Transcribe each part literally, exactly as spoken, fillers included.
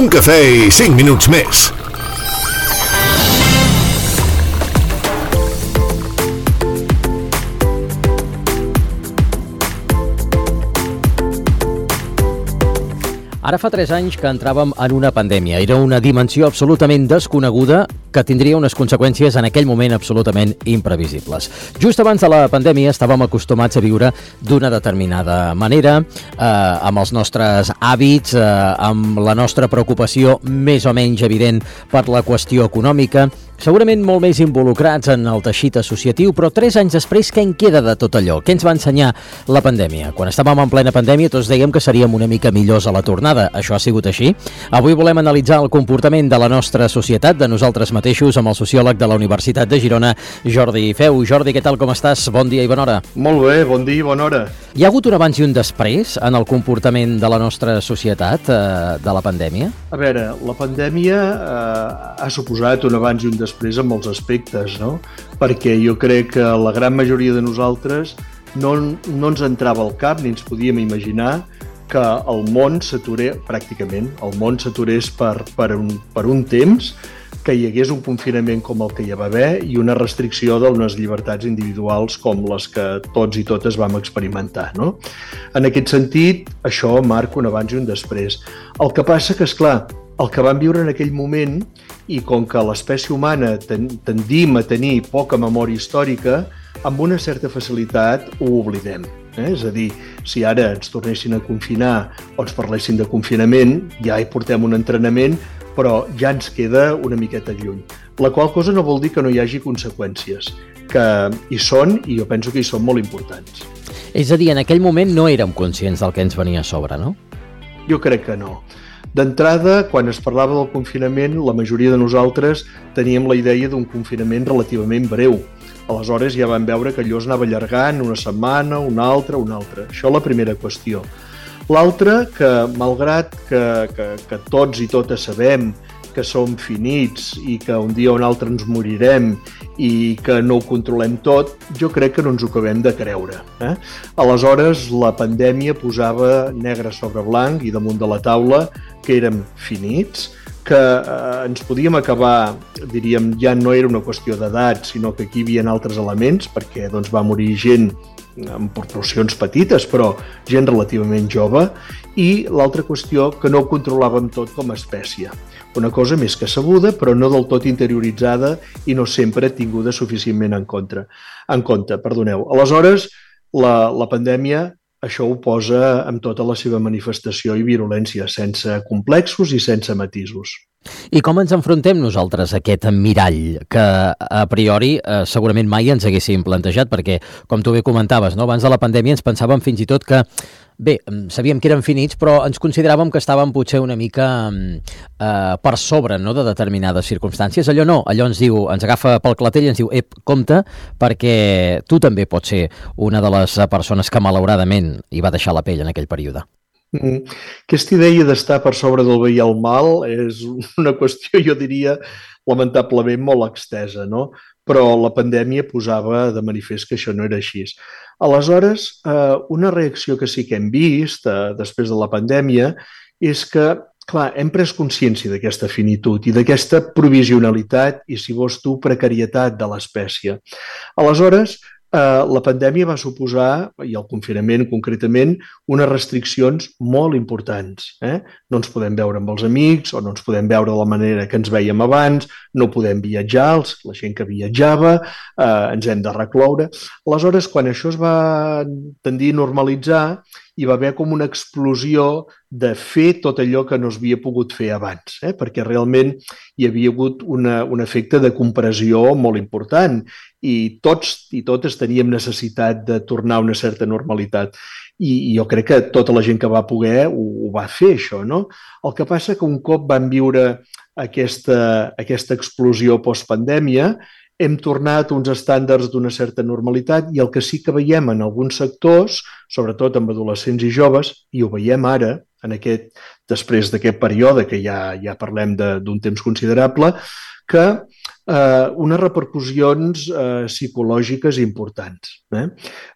Un cafè i cinc minuts més. Ara fa tres anys que entràvem en una pandèmia. Era una dimensió absolutament desconeguda que tindria unes conseqüències en aquell moment absolutament imprevisibles. Just abans de la pandèmia estàvem acostumats a viure d'una determinada manera, eh, amb els nostres hàbits, eh, amb la nostra preocupació més o menys evident per la qüestió econòmica, segurament molt més involucrats en el teixit associatiu, però tres anys després, què en queda de tot allò? Què ens va ensenyar la pandèmia? Quan estàvem en plena pandèmia, tots dèiem que seríem una mica millors a la tornada. Això ha sigut així? Avui volem analitzar el comportament de la nostra societat, de nosaltres mateixos, amb el sociòleg de la Universitat de Girona, Jordi Feu. Jordi, què tal, com estàs? Bon dia i bona hora. Molt bé, bon dia i bona hora. Hi ha hagut un abans i un després en el comportament de la nostra societat eh, de la pandèmia? A veure, la pandèmia eh, ha suposat un abans i un després en molts aspectes, no? Perquè jo crec que la gran majoria de nosaltres no, no ens entrava al cap ni ens podíem imaginar que el món s'aturés, pràcticament, el món s'aturés per, per, un, per un temps, que hi hagués un confinament com el que hi va haver i una restricció d'unes llibertats individuals com les que tots i totes vam experimentar, no? En aquest sentit, això marca un abans i un després. El que passa que, esclar, el que vam viure en aquell moment, i com que l'espècie humana tendim a tenir poca memòria històrica, amb una certa facilitat ho oblidem. Eh? És a dir, si ara ens tornessin a confinar o ens parlessin de confinament, ja hi portem un entrenament, però ja ens queda una miqueta lluny. La qual cosa no vol dir que no hi hagi conseqüències, que hi són i jo penso que hi són molt importants. És a dir, en aquell moment no érem conscients del que ens venia a sobre, no? Jo crec que no. D'entrada, quan es parlava del confinament, la majoria de nosaltres teníem la idea d'un confinament relativament breu. Aleshores ja vam veure que allò es anava allargant una setmana, una altra, una altra. Això la primera qüestió. L'altra, que malgrat que, que, que tots i totes sabem que som finits i que un dia o un altre ens morirem i que no ho controlem tot, jo crec que no ens ho acabem de creure. Eh? Aleshores, la pandèmia posava negre sobre blanc i damunt de la taula que érem finits, que eh, ens podíem acabar, diríem, ja no era una qüestió d'edat, sinó que aquí hi havia altres elements, perquè doncs, va morir gent en proporcions petites, però gent relativament jove, i l'altra qüestió que no ho controlàvem tot com a espècie. Una cosa més que sabuda, però no del tot interioritzada i no sempre tinguda suficientment en compte. En compte, perdoneu. Aleshores, la, la pandèmia això ho posa amb tota la seva manifestació i virulència, sense complexos i sense matisos. I com ens enfrontem nosaltres a aquest mirall que a priori eh, segurament mai ens haguéssim plantejat? Perquè, com tu bé comentaves, no? Abans de la pandèmia ens pensàvem fins i tot que, bé, sabíem que eren finits, però ens consideràvem que estàvem potser una mica eh, per sobre, no?, de determinades circumstàncies. Allò no, allò ens diu, ens agafa pel clatell i ens diu, ep, compte, perquè tu també pots ser una de les persones que malauradament hi va deixar la pell en aquell període. Mm. Aquesta idea d'estar per sobre del bé i el mal és una qüestió, jo diria, lamentablement molt extesa, no? Però la pandèmia posava de manifest que això no era així. Aleshores, eh, una reacció que sí que hem vist eh, després de la pandèmia és que, clar, hem pres consciència d'aquesta finitud i d'aquesta provisionalitat i, si vols tu, precarietat de l'espècie. Aleshores, Uh, la pandèmia va suposar, i el confinament concretament, unes restriccions molt importants. Eh? No ens podem veure amb els amics o no ens podem veure de la manera que ens veiem abans, no podem viatjar, la gent que viatjava, uh, ens hem de recloure. Aleshores, quan això es va tendir a normalitzar, hi va haver com una explosió de fer tot allò que no s'havia pogut fer abans, eh? Perquè realment hi havia hagut una, un efecte de compressió molt important i tots i totes teníem necessitat de tornar a una certa normalitat. I, i jo crec que tota la gent que va poder ho, ho va fer, això, no? El que passa que un cop vam viure aquesta, aquesta explosió postpandèmia, hem tornat a uns estàndards d'una certa normalitat i el que sí que veiem en alguns sectors, sobretot amb adolescents i joves, i ho veiem ara, en aquest, després d'aquest període, que ja, ja parlem d'un temps considerable, que eh, unes repercussions eh, psicològiques importants. Eh?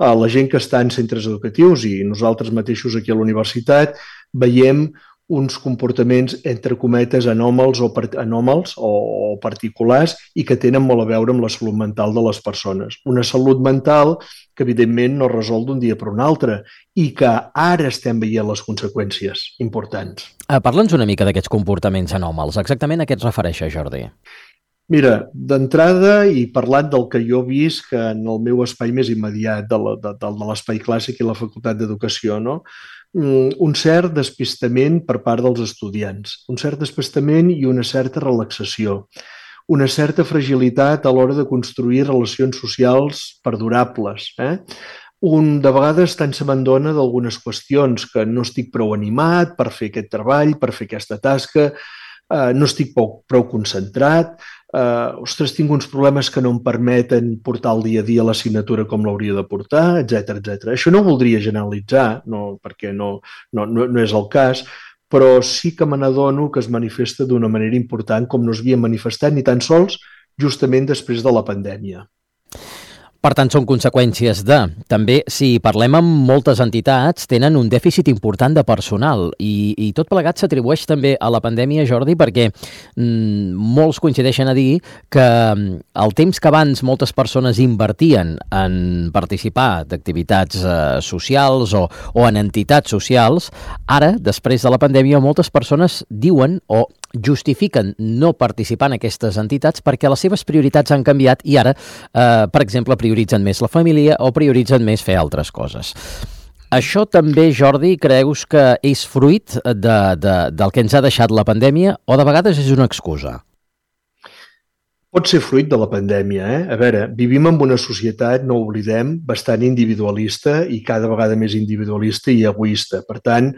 La gent que està en centres educatius i nosaltres mateixos aquí a la universitat veiem uns comportaments, entre cometes, anòmals o, part anòmals o, o particulars i que tenen molt a veure amb la salut mental de les persones. Una salut mental que, evidentment, no resol d'un dia per un altre i que ara estem veient les conseqüències importants. Uh, Parla'ns una mica d'aquests comportaments anòmals. Exactament a què et refereixes, Jordi? Mira, d'entrada, i parlant del que jo he vist que en el meu espai més immediat de l'espai clàssic i la Facultat d'Educació, no? Un cert despistament per part dels estudiants, un cert despistament i una certa relaxació, una certa fragilitat a l'hora de construir relacions socials perdurables. Eh? Un, de vegades tant se m'endona d'algunes qüestions que no estic prou animat per fer aquest treball, per fer aquesta tasca, eh, no estic prou, prou concentrat, Uh, ostres, tinc uns problemes que no em permeten portar el dia a dia l'assignatura com l'hauria de portar, etcètera, etcètera. Això no ho voldria generalitzar, no, perquè no, no, no, no és el cas, però sí que me n'adono que es manifesta d'una manera important com no es havia manifestat ni tan sols justament després de la pandèmia. Per tant, són conseqüències de... També, si parlem amb moltes entitats, tenen un dèficit important de personal i, i tot plegat s'atribueix també a la pandèmia, Jordi, perquè mm, molts coincideixen a dir que el temps que abans moltes persones invertien en participar d'activitats eh, socials o, o en entitats socials, ara, després de la pandèmia, moltes persones diuen o justifiquen no participar en aquestes entitats perquè les seves prioritats han canviat i ara, eh, per exemple, prioritzen més la família o prioritzen més fer altres coses. Això també, Jordi, creus que és fruit de, de, del que ens ha deixat la pandèmia o de vegades és una excusa? Pot ser fruit de la pandèmia. Eh? A veure, vivim en una societat, no ho oblidem, bastant individualista i cada vegada més individualista i egoista. Per tant,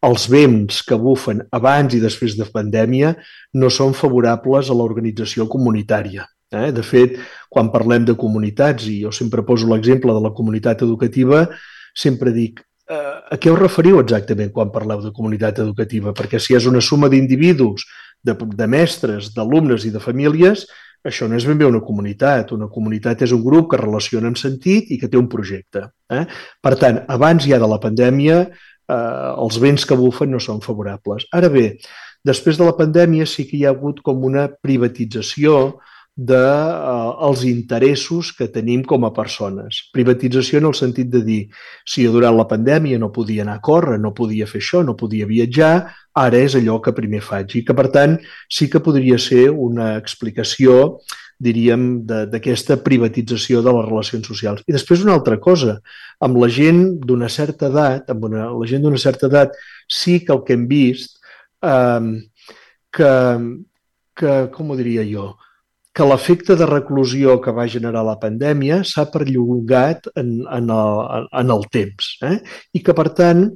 els vents que bufen abans i després de pandèmia no són favorables a l'organització comunitària. Eh? De fet, quan parlem de comunitats, i jo sempre poso l'exemple de la comunitat educativa, sempre dic, eh, a què us referiu exactament quan parleu de comunitat educativa? Perquè si és una suma d'individus, de, de mestres, d'alumnes i de famílies, això no és ben bé una comunitat. Una comunitat és un grup que relaciona amb sentit i que té un projecte. Eh? Per tant, abans ja de la pandèmia, eh, els vents que bufen no són favorables. Ara bé, després de la pandèmia sí que hi ha hagut com una privatització dels eh, interessos que tenim com a persones. Privatització en el sentit de dir, si jo durant la pandèmia no podia anar a córrer, no podia fer això, no podia viatjar, ara és allò que primer faig. I que, per tant, sí que podria ser una explicació, diríem, d'aquesta privatització de les relacions socials. I després una altra cosa, amb la gent d'una certa edat, amb una, la gent d'una certa edat, sí que el que hem vist, eh, que, que, com ho diria jo, que l'efecte de reclusió que va generar la pandèmia s'ha perllongat en, en, el, en el temps. Eh? I que, per tant,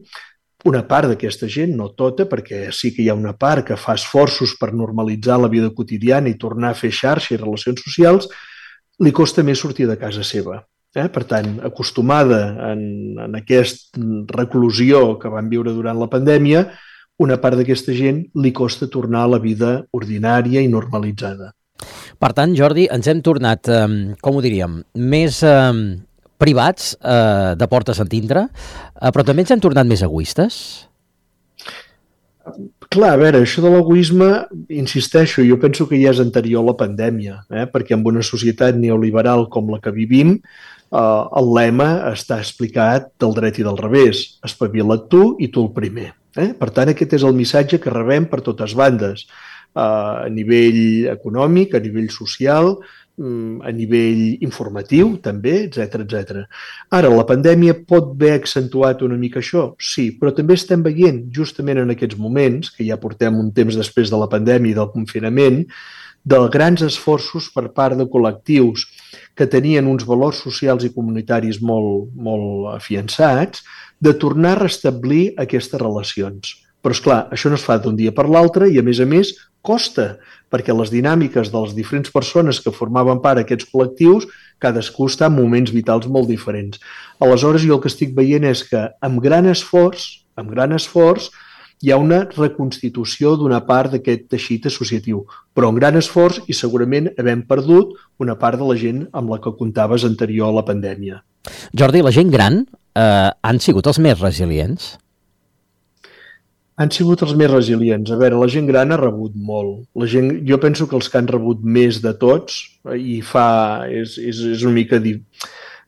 una part d'aquesta gent, no tota, perquè sí que hi ha una part que fa esforços per normalitzar la vida quotidiana i tornar a fer xarxa i relacions socials, li costa més sortir de casa seva. Eh? Per tant, acostumada en, en aquesta reclusió que van viure durant la pandèmia, una part d'aquesta gent li costa tornar a la vida ordinària i normalitzada. Per tant, Jordi, ens hem tornat, eh, com ho diríem, més eh, privats, eh, de portes en dintre, eh, però també ens hem tornat més egoistes? Clar, a veure, això de l'egoisme, insisteixo, jo penso que ja és anterior a la pandèmia, eh? perquè en una societat neoliberal com la que vivim, eh, el lema està explicat del dret i del revés. Espavila't tu i tu el primer. Eh? Per tant, aquest és el missatge que rebem per totes bandes. A nivell econòmic, a nivell social, a nivell informatiu també, etcètera, etcètera. Ara, la pandèmia pot haver accentuat una mica això? Sí, però també estem veient, justament en aquests moments, que ja portem un temps després de la pandèmia i del confinament, de grans esforços per part de col·lectius que tenien uns valors socials i comunitaris molt, molt afiançats, de tornar a restablir aquestes relacions. Però, esclar, això no es fa d'un dia per l'altre i, a més a més, costa, perquè les dinàmiques de les diferents persones que formaven part d'aquests col·lectius, cadascú està en moments vitals molt diferents. Aleshores, jo el que estic veient és que amb gran esforç, amb gran esforç, hi ha una reconstitució d'una part d'aquest teixit associatiu, però amb gran esforç i segurament havem perdut una part de la gent amb la que comptaves anterior a la pandèmia. Jordi, la gent gran eh, han sigut els més resilients? Han sigut els més resilients. A veure, la gent gran ha rebut molt. La gent, jo penso que els que han rebut més de tots, i fa, és, és, és una mica di,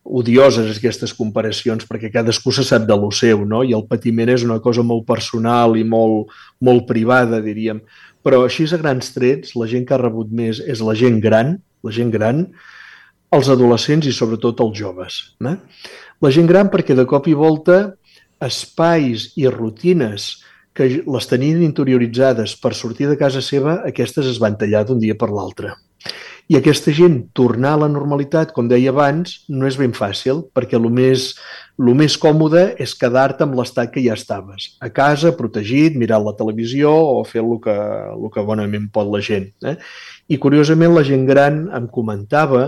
odioses aquestes comparacions, perquè cadascú se sap de lo seu, no? I el patiment és una cosa molt personal i molt, molt privada, diríem. Però així a grans trets, la gent que ha rebut més és la gent gran, la gent gran, els adolescents i sobretot els joves. Eh? La gent gran perquè de cop i volta espais i rutines que les tenien interioritzades per sortir de casa seva, aquestes es van tallar d'un dia per l'altre. I aquesta gent tornar a la normalitat, com deia abans, no és ben fàcil, perquè el més, el més còmode és quedar-te amb l'estat que ja estaves. A casa, protegit, mirant la televisió o fer el que, el que bonament pot la gent. Eh? I curiosament la gent gran em comentava,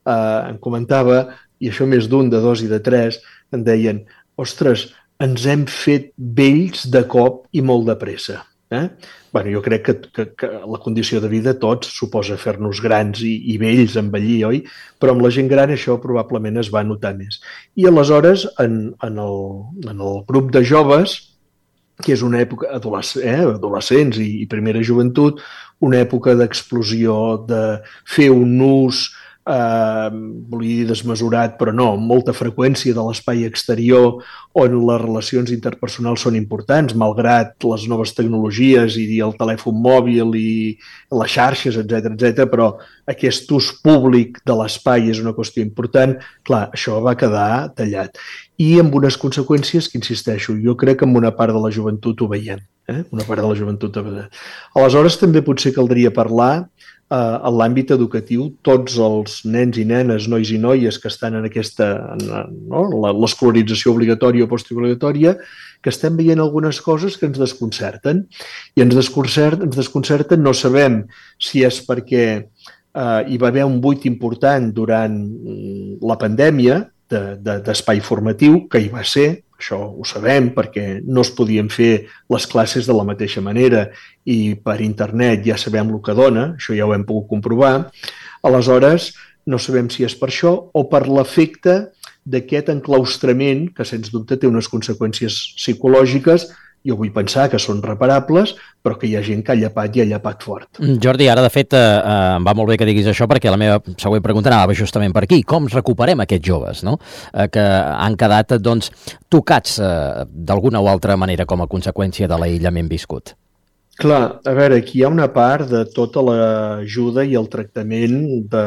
eh, em comentava, i això més d'un, de dos i de tres, em deien, ostres, ens hem fet vells de cop i molt de pressa. Eh? Bueno, jo crec que, que, que la condició de vida tots suposa fer-nos grans i, i vells, envellir, oi? Però amb la gent gran això probablement es va notar més. I aleshores, en, en, el, en el grup de joves, que és una època adolesc eh, adolescents i, i primera joventut, una època d'explosió, de fer un ús eh, volia dir desmesurat, però no, amb molta freqüència de l'espai exterior on les relacions interpersonals són importants, malgrat les noves tecnologies i el telèfon mòbil i les xarxes, etcètera, etcètera, però aquest ús públic de l'espai és una qüestió important. Clar, això va quedar tallat. I amb unes conseqüències que, insisteixo, jo crec que en una part de la joventut ho veiem. Eh? Una part de la joventut ho veiem. Aleshores, també potser caldria parlar eh, en l'àmbit educatiu, tots els nens i nenes, nois i noies que estan en aquesta, no? l'escolarització obligatòria o postobligatòria, que estem veient algunes coses que ens desconcerten. I ens desconcerten, ens desconcerten, no sabem si és perquè eh, hi va haver un buit important durant la pandèmia, d'espai de, de, formatiu, que hi va ser, això ho sabem, perquè no es podien fer les classes de la mateixa manera i per internet ja sabem el que dona, això ja ho hem pogut comprovar. Aleshores, no sabem si és per això o per l'efecte d'aquest enclaustrament que, sens dubte, té unes conseqüències psicològiques. Jo vull pensar que són reparables, però que hi ha gent que ha llapat i ha llapat fort. Jordi, ara, de fet, eh, em va molt bé que diguis això, perquè la meva següent pregunta anava justament per aquí. Com recuperem aquests joves, no? eh, que han quedat doncs, tocats eh, d'alguna o altra manera com a conseqüència de l'aïllament viscut? Clar, a veure, aquí hi ha una part de tota l'ajuda i el tractament de,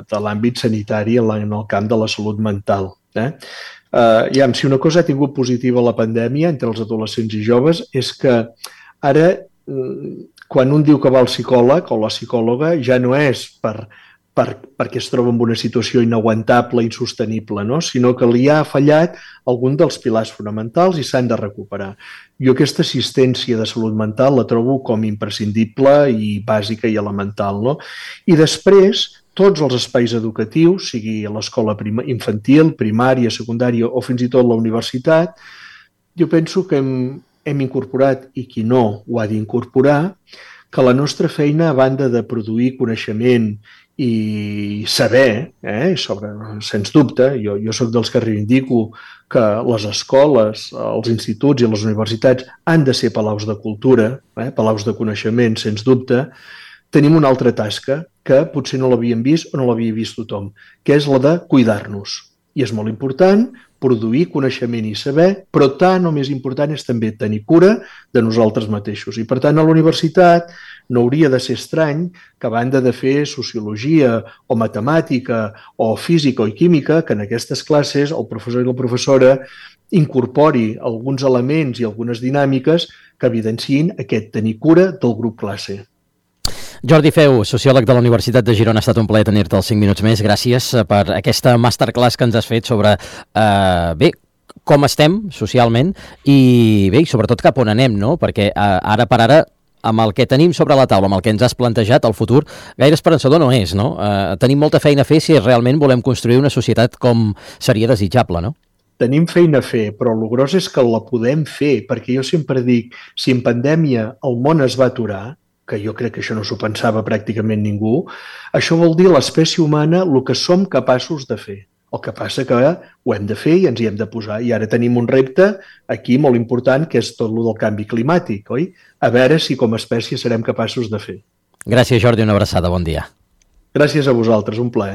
de l'àmbit sanitari en el camp de la salut mental. Eh? Uh, ja, si una cosa ha tingut positiva la pandèmia entre els adolescents i joves és que ara, quan un diu que va al psicòleg o la psicòloga, ja no és per, per, perquè es troba en una situació inaguantable, insostenible, no? Sinó que li ha fallat algun dels pilars fonamentals i s'han de recuperar. Jo aquesta assistència de salut mental la trobo com imprescindible i bàsica i elemental, no? I després, tots els espais educatius, sigui a l'escola infantil, primària, secundària o fins i tot la universitat, jo penso que hem, hem incorporat, i qui no ho ha d'incorporar, que la nostra feina, a banda de produir coneixement i saber, eh, sobre, sens dubte, jo, jo soc dels que reivindico que les escoles, els instituts i les universitats han de ser palaus de cultura, eh, palaus de coneixement, sens dubte. Tenim una altra tasca que potser no l'havíem vist o no l'havia vist tothom, que és la de cuidar-nos. I és molt important produir coneixement i saber, però tant o més important és també tenir cura de nosaltres mateixos. I per tant, a la universitat no hauria de ser estrany que a banda de fer sociologia o matemàtica o física o química, que en aquestes classes el professor i la professora incorpori alguns elements i algunes dinàmiques que evidenciïn aquest tenir cura del grup classe. Jordi Feu, sociòleg de la Universitat de Girona, ha estat un plaer tenir-te els cinc minuts més. Gràcies per aquesta masterclass que ens has fet sobre, eh, bé, com estem socialment i, bé, sobretot cap on anem, no? Perquè eh, ara per ara, amb el que tenim sobre la taula, amb el que ens has plantejat, el futur gaire esperançador no és, no? Eh, tenim molta feina a fer si realment volem construir una societat com seria desitjable, no? Tenim feina a fer, però el gros és que la podem fer, perquè jo sempre dic, si en pandèmia el món es va aturar, que jo crec que això no s'ho pensava pràcticament ningú, això vol dir l'espècie humana el que som capaços de fer. El que passa que ho hem de fer i ens hi hem de posar. I ara tenim un repte aquí molt important, que és tot el del canvi climàtic, oi? A veure si com a espècie serem capaços de fer. Gràcies, Jordi, una abraçada, bon dia. Gràcies a vosaltres, un plaer.